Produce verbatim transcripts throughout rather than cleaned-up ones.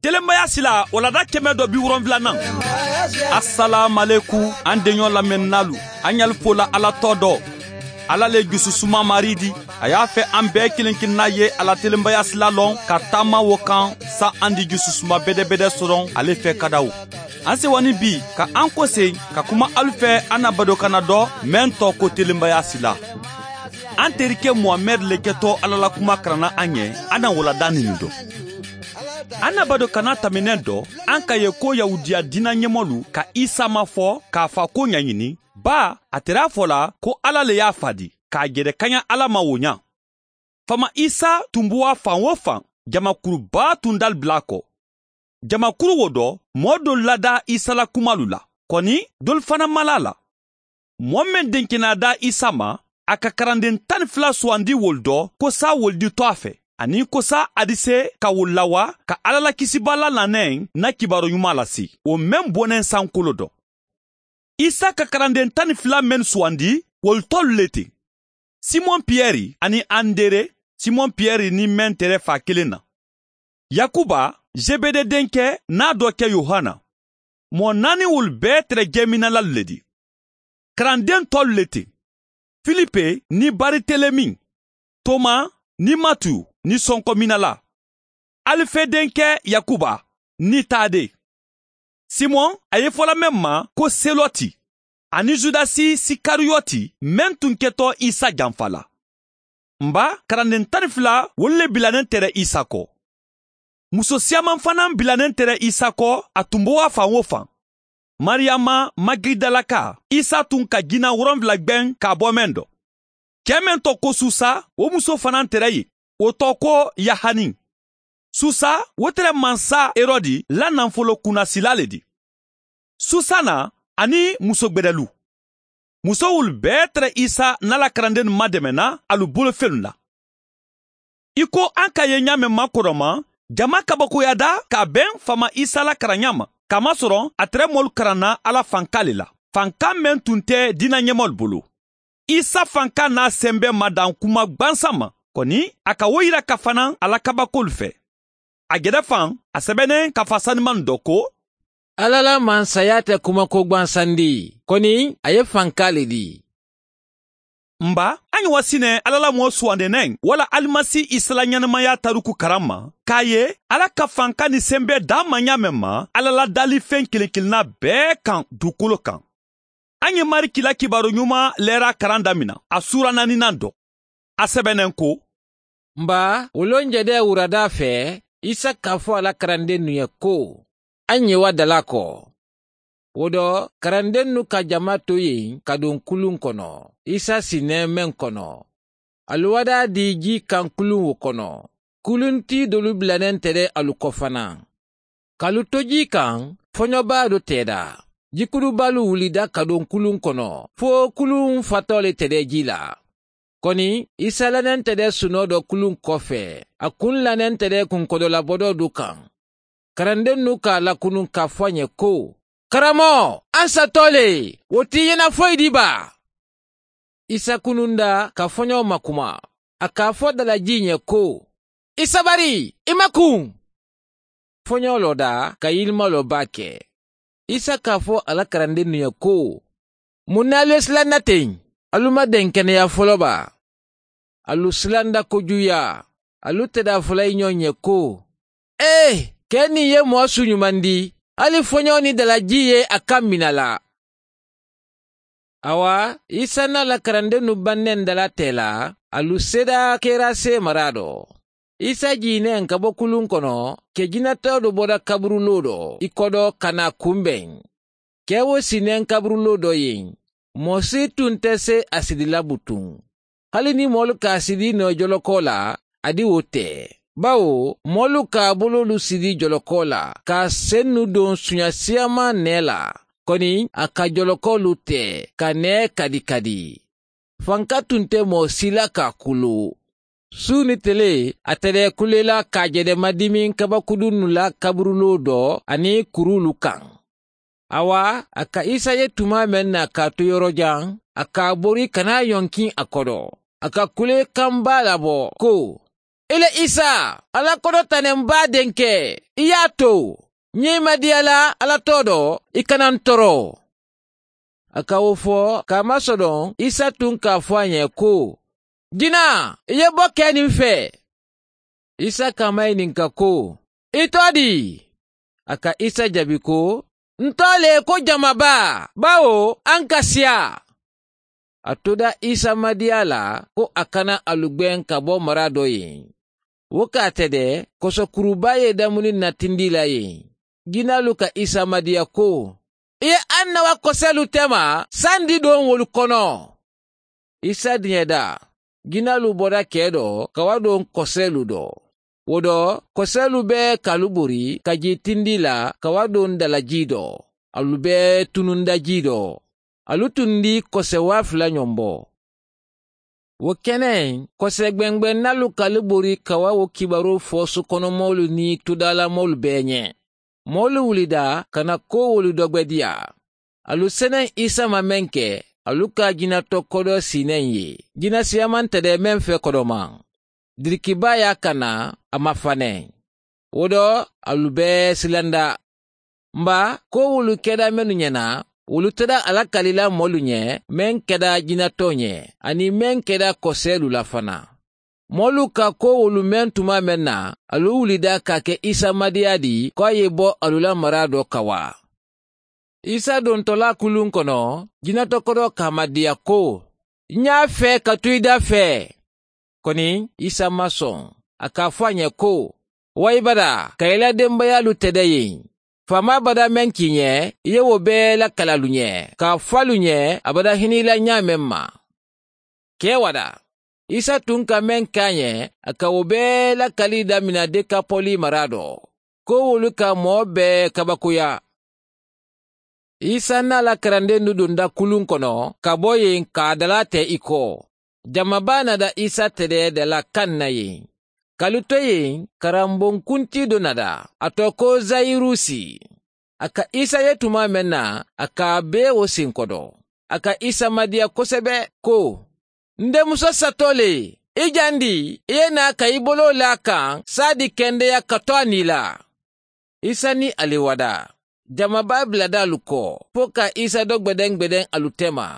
Telenbaya sila, walanda kɛmɛ dɔ bi wolonwulanan. Asalaamualeykum, an deɲɔ lamɛnninaalu, an ɲali fola Ala tɔgɔ dɔ. Ala le jususuma Mari di. A y'a fɛ an bɛɛ kelen kelenna ye a la telenbaya sila lɔn ka taama wo kan, sa an di jususuma bɛdɛbɛdɛ sɔrɔ ale fɛ kadaw. An sewani bi ka an kosegin ka kuma alu fɛ, an na badokana dɔ mɛn tɔ ko telenbaya sila. An terikɛ Muhamɛdi le kɛtɔ Ala la kuma karanna an ye, an na walanda nin dɔn. An na badokana tɛmɛnen dɔ, an ka ye ko Yahudiya diina ɲɛmɔlu ka Isa mafɔ k'a fa ko ɲaɲini, ba a tɛrɛ a fɔ la ko Ala le y'a fa di, k'a jɛrɛ kaɲa Ala ma wo ɲa. Faama Isa tun bɔra fan wo fan, jamakuru baa tun dali bila a kɔ. Jamakuru wo dɔ, mɔɔ dolu lada Isa la kumalu la, kɔni dolu fana ma la a la. Mɔɔ meŋ denkenaa da Isa ma, a ka karanden tan ni fila sugandi wolu dɔ, ko sa wolu di to a fɛ, aniŋ ko sa a di se ka wolu lawa ka Alla la kisibaa la naneŋ na kibaaru ɲumaa lasi, wo meŋ boneŋ sankolo dɔ. Isa ka karanden tan ni fila mennu sugandi, wolu tolu le ti: Simon Piyɛri aniŋ Andere, Simon Piyɛri niŋ meŋ tere faa kiliŋ na, Yakuba, Zebede denkɛ naa dɔ ke Yohana. Moo naani wolu bee tere jeminalalu le ti. Karandeŋ tolu le ti: Filipe niŋ Baritelemi, Toma niŋ Matiyu niŋ sonkominala, Alife denkɛ Yakuba niŋ Tade, Simon a ye fola meŋ ma ko Seloti, aniŋ Zudasi Sikariyoti meŋ tun ketɔ Isa janfala. N ba, karandeŋ tan ni fila wolu le bilaneŋ tere Isa ko. Muso siyaamaŋ fanaa bilaneŋ tere Isa ko, a tun bɔra fan wo fan. Mariyama Magidalaka, Isa tun ka jina woronwula gbeŋ ka a bo meŋ do. Kee meŋ to ko Susa, wo muso fanaa tere yen, wo to ko Yahani. Susa, wo tere mansa Herodi la nafolokunnasilaa le ti. Susa naa aniŋ muso gbedelu. Muso wolu bee tere Isa naa la karandennu mademenna a lu bolofennu la. I ko an ka ye ñaameŋ makodoma, jama kabakoyata ka a beŋ faama Isa la karanñaa ma, kamasoroŋ a tere moolu karanna a la fankaa le la, fankaa meŋ tun te diina ñemoolu bulu. Isa fankaa naa sembe madaŋ kuma gbansaŋ ma, koni a ka wo yira ka fanaŋ a la kabakoolu fee. A jede faŋ, a sebeneŋ ka fa sanimaŋ do ko: Alla la mansayaa te kumako gbansandi, koni a ye fankaa le di. N ba, a ñiŋ wa si ne alla la moo suwandeneŋ walla alimasi isa la ñanamayaa taruku karamma, ka a ye alla ka fanka ni sembe daa maŋ ñaameŋ ma alla la daalifeŋ kiliŋ kiliŋ naa bee kaŋ dukolo kaŋ. A ñiŋ mariki la kibaaru ñumaa leeraa karaŋ damina a suura naaninan do. A sebeneŋ ko: N ba, wo loŋ jede wuradaa fee, isa ka a fo a la karandennu ye ko, a ñiŋ wa dalaa ko. Wo do, karandennu ka jama to yeŋ ka duŋ kuluŋ kono, isa si nee meŋ kono. Alu wadaa dii jii kaŋ kuluŋ wo kono. Kuluŋ tii dolu bilaneŋ te de alu ko fanaa. Ka alu to jii kaŋ, foño baa do teeda. Jikudubaalu wulida ka duŋ kuluŋ kono, fo kuluŋ fatoo le te de jii la. Koni isa lanente de sunoo do kuluŋ kofe, a kuŋ lanente de kunkodolabodoo du kaŋ. Karandennu ka a lakunuŋ ka a fo a ñe ko, karamoo, a nsatoo le, wo ti i ye na foyi dii baa? Isa kununda ka foñoo makuma, a ka a fo dalajii ñe ko, i sabari, i makuŋ. Foñoo looda ka yilimaloo baa ke. Isa ka a fo a la karandennu ye ko, muŋ na alu ye silanda teŋ? Alu ma denkeneyaa folo baa? Alu silanda kojuuyaa. Alu te daa fola i ñoŋ ye ko, ee, ke niŋ ye moo suuñumandi, hali foñoo niŋ dalajii ye a kaŋ mina la. Awa, isa naa la karandennu banneŋ dala tee la, alu seeda kerase maraa do. Isa jiineŋ ka bo kuluŋ kono, ke jinatoo do bota kaburuloo do i kodo ka naa kunbeŋ. Ke wo si neŋ kaburuloo do yeŋ, moo si tun te se a sidila butuŋ. Hali niŋ moolu ka a sidi noo jolokoo la, a di wo te. Bawo moolu ka a boloolu sidi jolokoo la ka a sennu doŋ suña siyaamaa nee la, koni a ka jolokoolu te ka nee kadi kadi. Fanka tun te moo si la ka a kulu. Suu ni tele, a te de kule la ka a jede madimiŋ kabakudunnu la kaburuloo do aniŋ kuruulu kaŋ. Awa, a ka isa ye tumaa meŋ na ka a tu yorojaŋ, a ka a bori ka naa yonkiŋ a kodo. A ka kule kambaa labo ko, I le isa, alla kodo tanem baa denke. I ye a to ñiŋ i ma diya la alla too do. I kana n toro. A ka wo fo ka a masodoŋ isa tuŋ ka a fo a ñe ko, jinaa, i ye bo kee niŋ fee? Isa ka a ma ŋininka ko, i too dii? A ka isa jabi ko, n too le ko jama baa, bawo a n ka siyaa. A tuda isa madiya la ko a kana alu gbeŋ ka bo mara do yen. Wo ka a tede koso kuru baa ye damuni natindi la yen. Jinaalu ka isa madiya ko, i ye annawa koseelu tema sandi doŋ wolu kono. Isa diɲeda. Jinaalu bota kee do ka wa doŋ koseelu do. Wo do, koseelu bee ka alu bori ka jii tindi la ka wa doŋ dala jii do. Alu bee tununda jii do. Alu tundi kose waa fula ñombo. Wo keneŋ, kose gbeŋ gbeŋ naalu ka alu bori ka wa wo kibaroo fo sukonomoolu niŋ tudaalamoolu bee ñe. Moolu wulida ka na koowolu dogbediya. Alu seneŋ isa ma meŋ ke, alu ka a jina to kodoo sii neŋ ye. Jina siyamantere meŋ fee kodomaŋ, dirikibaa ye a kana, a ma faneŋ. Wo do, alu bee silanda. Mba, koowolu keda mennu ñena, wolu teda a la kalila moolu ñe, meŋ keda jina too ñe, aniŋ meŋ keda koseelu la fanaa. Moolu ka koowolu meŋ tumaa meŋ na, alu wulida ka a ke isa madiyaa di ko a ye bo alu la maraa do ka waa. Isa dontolaa kuluŋ kono, jina to kodoo ka a madiya ko, ñaa fee ka tu i da fee. Koni isa maŋ soŋ. A ka a fo a ñe ko, wa i bada ka i la dembayaalu tede yen. Faamaa bada meŋ ke i ñe, i ye wo bee lakali alu ñe, ka a fo alu ñe a bada hini i la ñaameŋ ma. Kee wada, isa tuŋ ka meŋ ke a ñe, a ka wo bee lakali damina dekapoli maraa do. Koowolu ka moo bee kabakoya. Isa niŋ a la karandendu dunda kuluŋ kono ka bo yen ka a dalaa te i ko. Jama baa nada isa tede dalaa kaŋ na yen. Ka alu to yen, karamboŋ kuntii do nada, a to ko zayirusi. A ka isa ye tumaa meŋ na, a ka a bee wo sinkodo. A ka isa madiya kosebe ko, n demuso satoo le, i jandi, i ye naa ka i boloo laa a kaŋ saadi kendeya ka to a nii la. Isa niŋ ali wada. Jama baa biladaalu ko, fo ka isa do gbedeŋ gbedeŋ alu tema.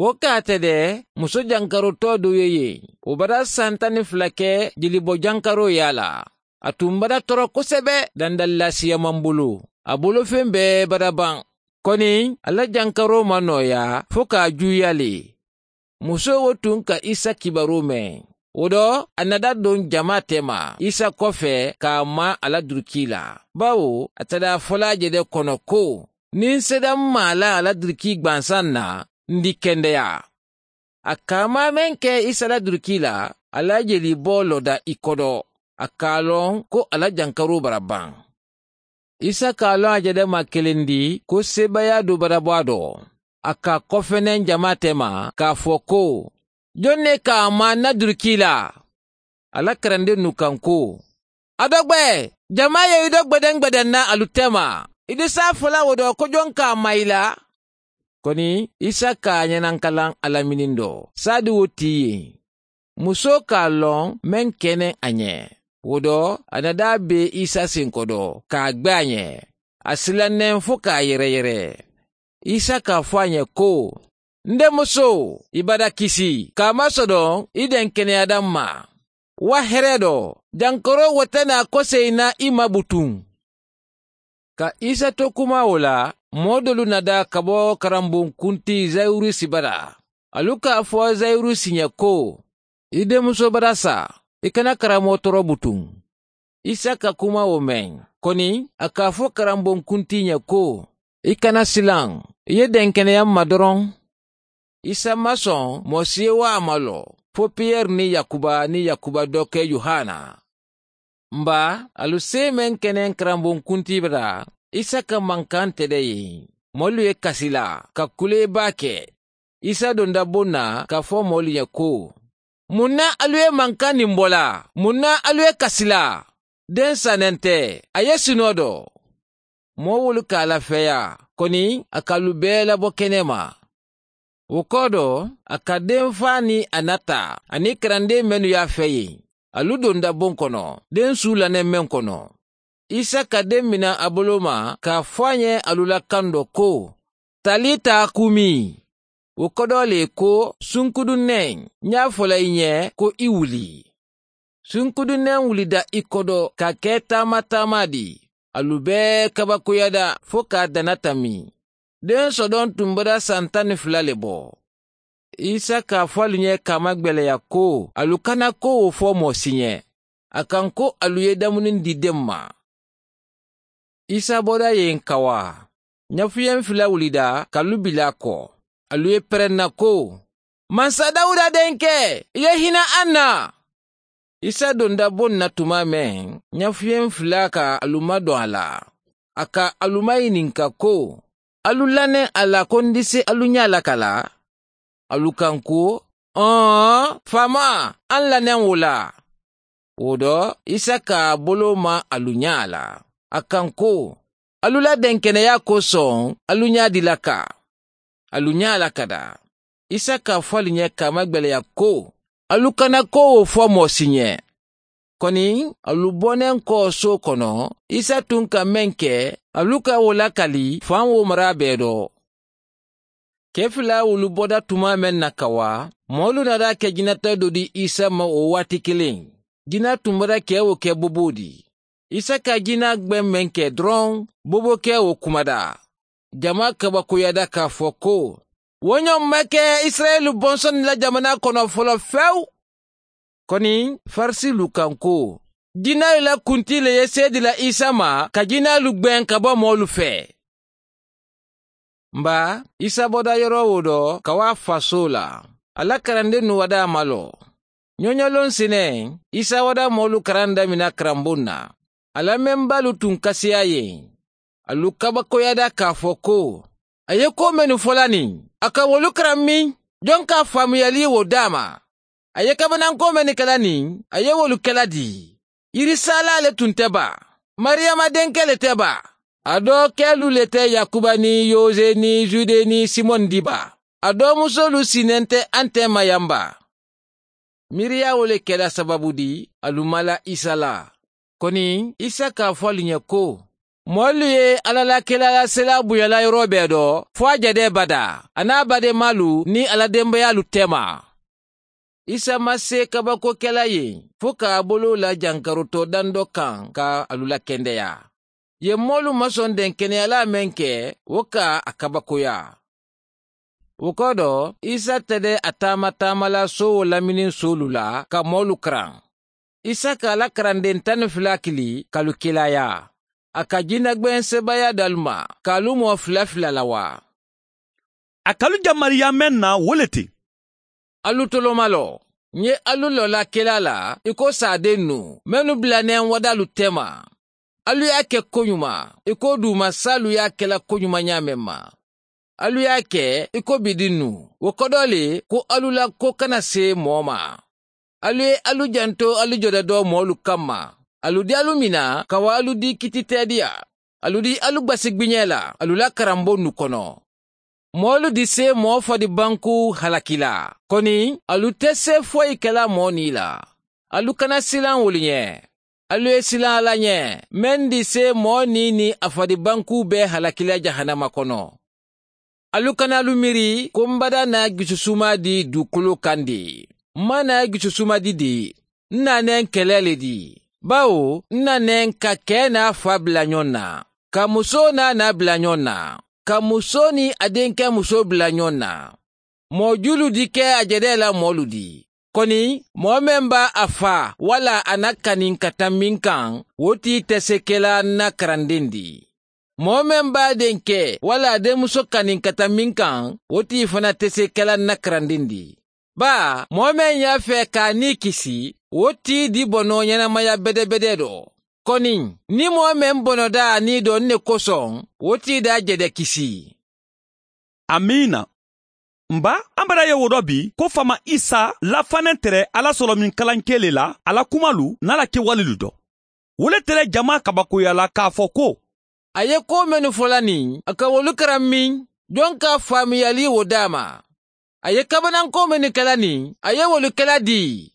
Wo ka a tede, muso jankaroo too doo ye yen. Wo bada santa niŋ fula ke jelibo jankaroo ye a la. A tuŋ bada toro kosebe dandali laasiya maŋ bulu. A bolofeŋ bee bada baŋ. Koni a la jankaroo maŋ nooyaa fo ka a juuyali. Musoo wo tuŋ ka isa kibaroo meŋ. Wo do, a nada doŋ jamaa tema isa kofe ka a maa a la durikii la. Bawo a tada a fola a je de kono ko, niŋ seda m maa la a la durikii gbansaŋ na, n di kendeya. A ka a maa meŋ ke isa la durikii la, a la a jeliboo loda i kodo. A ka a loŋ ko a la jankaroo bara baŋ. Isa ka a loŋ a je de maa kelendi ko seebayaa do bara bo a do. A ka a kofeneŋ jamaa tema ka a fo ko, joŋ ne ka a maa n na durikii la? A la karandennu kaŋ ko, a dogbe. Jamaa ye i do gbedeŋ gbedeŋ na alu tema. I di se a fola wo do ko joŋ ka a maa i la? Koni isa ka a ñanankalaŋ a la minindo saadi wo tii yen. Musoo ka a loŋ meŋ ke neŋ a ñe. Wo do, a na daa bee isa sinko do ka a gbe a ñe. A silanneŋ fo ka a yereyere. Isa ka a fo a ñe ko, n demusoo, i bada kisi ka a masodoŋ. I denkeneya daŋ ma. Wa heree do, jankaroo wo te naa koseyi na i ma butuŋ. Ka isa to kumaa wo la, moo doolu na daa ka bo karamboŋ kuntii zayurusi bada. Alu ka a fo zayurusi ñe ko, i demusoo bada sa. I kana karamoo toro butuŋ. Isa ka kumaa wo meŋ, koni a ka a fo karamboŋ kuntii ñe ko, i kana silaŋ. I ye denkeneya m ma doroŋ. Isa maŋ soŋ moo si ye wo a ma loo fo piyeri niŋ yakuba niŋ yakuba doo ke yohana. Mba, alu see meŋ ke neŋ karamboŋ kuntii bata. Isa ka mankaŋ tede yen. Moolu ye kasi la ka kulee baake. Isa donda boŋ na ka fo moolu ye ko, muŋ na alu ye mankaŋ nimbo la? Muŋ na alu ye kasi la? Deŋ sanente, a ye sinoo do. Moo wolu ka a lafeeyaa, koni a ka alu bee labo kenema. Wo koodo, a ka deŋ faa niŋ a nata aniŋ karandee mennu ye a fee yen. alu donda boŋ kono, deŋ suu laneŋ meŋ kono. Isa ka deŋ mina a boloo ma ka a fo a ñe alu la kandoo ko, talita kumi. Wo kodoo le ko, sunkuduneŋ, ña a fo la i ñe ko i wuli. Sunkuduneŋ wulida i kodo ka ke taama-taama di. Alu bee kabakoyada fo ka a dana tammi. Deŋ sodoŋ tumbada san taŋ ni fula le bo. Isa ka a fo alu ñe ka a magbeleya ko, alu kana ko wo fo moo si ñe. A kaŋ ko alu ye damunindi deŋ ma. Isa boda ye n kawaa. Ñafuyeŋ fila wulida ka lu bila a ko. Alu ye pere n na ko, mansa dawuda denke, i ye hina an na. Isa donda boŋ na tuma meŋ, ñafuyeŋ fila ka alu madoŋ a la. A ka alu mayininka ko, alu laneŋ a la ko n di si alu ñaa lakala? Alu kaŋ ko, oon, faamaa, an laneŋ wo la. Wo do, isa ka a boloo maa alu ñaa la. A kaŋ ko, alu la denkeneyaa kosoŋ, alu ñaa di laka. Alu ñaa lakada. Isa ka a fo alu ñe ka a magbeleya ko, alu kana ko wo fo moo si ñe. Koni, alu boneŋ koo soo kono, isa tun ka meŋ ke, alu ka wo lakali faŋ wo maraa bee do. Kee fila wulu boda tuma meŋ na kawa, moolu naata ke jinata do di isa ma wo waati kiliŋ. Jina tumbada kee wo ke boboo di. Isa ka jina gbeŋ meŋ ke doroŋ, boboo kee wo kumada. Jamaa kabakoyada ka a fo ko, wo ñoŋ ma ke isirayila bonsondi la jamanaa kono foloo fewu. Koni, farisiilu kaŋ ko, jinaalu la kuntii le ye seedi la isa ma ka jinaalu gbeŋ ka bo moolu fee. Mba, isa boda yoroo wo do ka waa fasoo la. A la karandennu wadaa malo. Ñoñoloŋ si ne, isa wadaa moolu karanda mina karamboŋ na. A la membaalu tun kasiyaa ye. Alu kabakoyada ka a fo ko, a ye koo mennu fo la niŋ, a ka wolu karaŋ miŋ? Joŋ ka a faamuyalii wo daama? A ye kabanaŋ koo mennu ke la niŋ, a ye wolu ke la dii? Yirisaalaa le tun te ba? Mariyama denke le te ba? A doo keelu le te yakuba niŋ yoze niŋ zude niŋ simoŋ di ba? A doo musoolu si nente a nte ma yaŋ ba? Miiriyaa wo le kela sabaabu di, alu mala isa la. Koni, isa ka a fo alu ñe ko, moolu ye alla la kiilaalaselaa buña la yoroo bee do, fo a jedee badaa, a niŋ a baademaalu niŋ a la dembayaalu teema. Isa maŋ see kabakoo ke la yeŋ, fo ka a boloo la jankarotoo dandoo kaŋ ka alu la kendeyaa. Ye moolu masoŋ denkeneyalaa meŋ ke, wo ka a kabakoyaa. Wo kodo, isa tede a taama-taama la soowo laminiŋ soolu la ka moolu karaŋ. Isa ka a la karandeŋ taŋ ni fula kili ka alu kilaayaa. A ka jinagbeŋ sebaayaalu daalu ma ka alu moo fula fula la waa? A ka alu jamariyaa meŋ na wo le ti. Alu tolomaloo, ǹ ye alu lola kela la i ko saadennu mennu bilaneŋ wadaalu teema. Alu ye a ke koñuma i ko duumasaalu ye a ke la koñuma ñaameŋ ma. Alu ye a ke i ko bidinnu, wo kodoo le ko alu la koo kana see moo ma. Alu ye alu janto alu jodedoo moolu kamma. Alu diyaalu mina ka wo alu dii kititeediya. Alu dii alu gbasi gbiñee la alu la karambonnu kono. Moolu di see moo fadibankuu halaki la. Koni, alu te see foyi ke la moo nii la. Alu kana silaŋ wolu ñe. Alu ye silaŋ alla ñe, meŋ di see moo nii niŋ a fadibankuu bee halaki la jahannama kono. Alu kana alu miiri ko m badaa na jususumaa di duukoloo kaŋ di. M maŋ na jususumaa di di. N naa neŋ kelee le di. Bawo n naa neŋ ka kee naa faa bila ñoŋ na, ka musoo naa naa bila ñoŋ na, ka musoo niŋ a denkemusoo bila ñoŋ na. Moo juulu di ke a jedee la moolu di. Koni, moo meŋ be a faa walla a na kaniŋ ka tambi n kaŋ, wo tii te see ke la n na karandeŋ di. Moo meŋ be a denke walla a denmuso kaniŋ ka tambi n kaŋ, wo tii fanaa te see ke la n na karandeŋ di. Baa moo meŋ ye a fee ka a nii kisi, wo tii di bonoo ñenamaya bedebedee do. Koni, niŋ moo meŋ bonodaa a nii do n ne kosoŋ, wo tii daa jede kisi. Amiina. N baa, an bara ye wo do bi ko faama isa la faneŋ tere alla solomiŋ kalankee le la a la kumaalu niŋ a la kewalilu do. Wo le tere jamaa kabakoyaa la ka a fo ko, a ye koo mennu fo la niŋ a ka wolu karaŋ miŋ? Joŋ ka faamuyalii wo daa ma? A ye kabanaŋ koo mennu ke la niŋ a ye wolu ke la dii?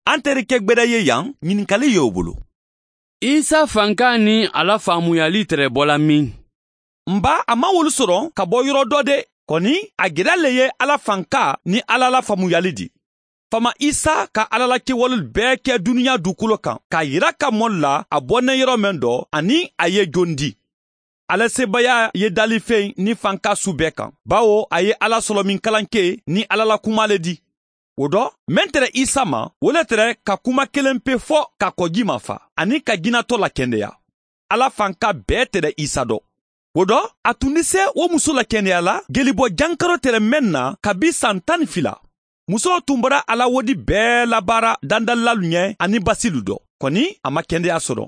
An tereke gbeda ye yan ɲininkali ye wo bolo. Isa fanka ni a la faamuyali tere bola min? N ba, a man wolu soro ka bo yoro do de. Koni a geda le ye ala fanka ni ala la faamuyali di. Fama isa ka ala la kewolu bee ke duniya dukulo kan ka yira ka molu la a bonnen yoro men do ani a ye jondi. Ala sebaaya ye dali feŋ ni fanka su bee kan, bawo a ye ala solomin kalanke ni ala la kuma le di. Wo do, men tere isa ma, wo le tere ka kuma kelenpe fo ka kojima fa ani ka jinato lakendeya. Ala fanka bee tere isa do. Wo do, a tundi se wo muso lakendeya la gelibɔ jankaro tere men na kabi san tan ni fila. Muso tun bɔra a la wodi bee labaara dandalilalu ɲɛ ani basilu do. Koni a ma kendeya sɔrɔ.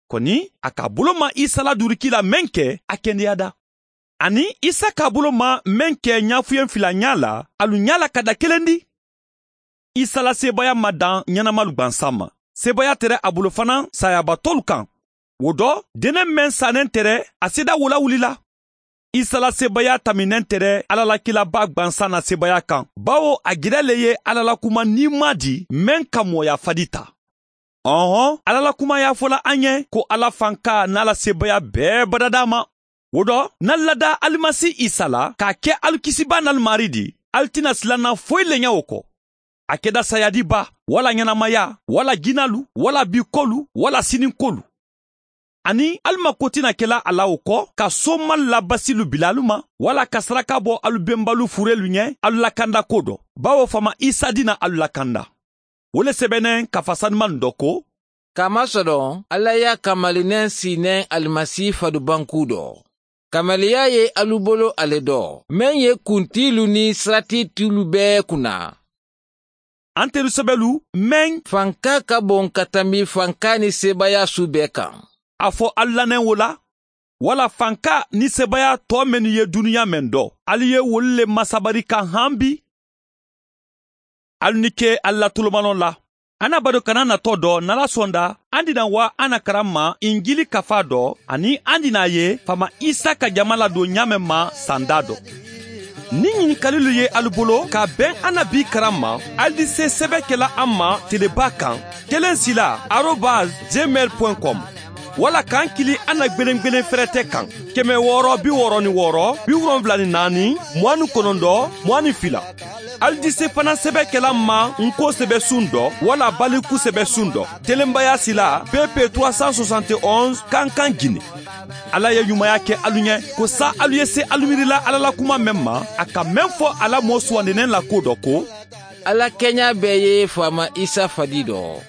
Koni a k'a bolo ma isa la duriki la men ke a kendeya da. Ani isa k'a bolo ma men ke ɲafuyen fila ɲa la alu ɲa la ka da kelen di. Isa la sebaaya ma dan ɲɛnamalu gbansan ma. Sebaaya tere a bolo fana saayabatolu kan. Wo do, denen men saanen tere a seda wo la wulila. Isa la sebaaya taminen tere ala la kilaba gbansan na sebaaya kan, bawo a geda le ye ala la kuma niimaa di men ka mooya fadi ta. Ɔnhɔn, ala la kuma y'a fola an ye ko ala fanka n'a la sebaaya bee badada a ma. Wo do, n'alu lada alimasi isa la k'a ke alu kisibaa n'alu maari di, alu tina silanna foyi le ɲa wo ko. A keda saayadiba, wala ɲɛnamaya, wala jinalu, wala bikolu, wala sininkolu. Ani alu ma kotina kela a la wo ko ka soomalu la basilu bila alu ma, wala ka saraka bo alu benbalu furelu ɲɛ alu lakandako do, bawo fama isa dina alu lakanda. Wo le sebennen kafa sanuman do ko, kaamasɔdɔn ala y'a kamalinen siinen alimasi fadubanku do. Kamaliya ye alu bolo ale do men ye kuntiilu ni siratiitiilu bee kunna. An teru sebelu men fanka ka bon ka tambi fanka ni sebaaya su bee kan. A fo alu lanen wo la, wala fanka ni sebaaya tɔ mennu ye duniya men do, alu ye wolu le masabari ka han bi. Alu ni ke alu la tolomanɔ la. An na bado kana natɔ dɔ n'ala sonda an dina wa an na karan ma injili kafa dɔ, ani an dina ye fama isa ka jama ladon ɲaamen ma sanda dɔ. Ni ɲininkalilu ye alu bolo ka ben an na bi karan ma, alu di se sɛbɛ kela an ma teleba kan, kelen sila arobas gmail point com. Wala k'an kili an na gbelengbelen fɛrɛtɛ kan, kɛmɛ wɔɔrɔ bi wɔɔrɔ ni wɔɔrɔ bi wolonwula ni naani mugan ni kɔnɔntɔn mugan ni fila. Alu di se fana sɛbɛ kela ma n ko sɛbɛ sun dɔ wala baliku sɛbɛ sun dɔ, telenbaya sila pp trois cent soixante et onze kankan jine. Ala ye ɲumaya kɛ alu ɲɛ ko sa alu ye se alu miirila ala la kuma men ma, a ka men fɔ ala moo suwandinen la ko dɔ ko, ala kɛɲa bɛɛ ye faama isa fadi dɔ.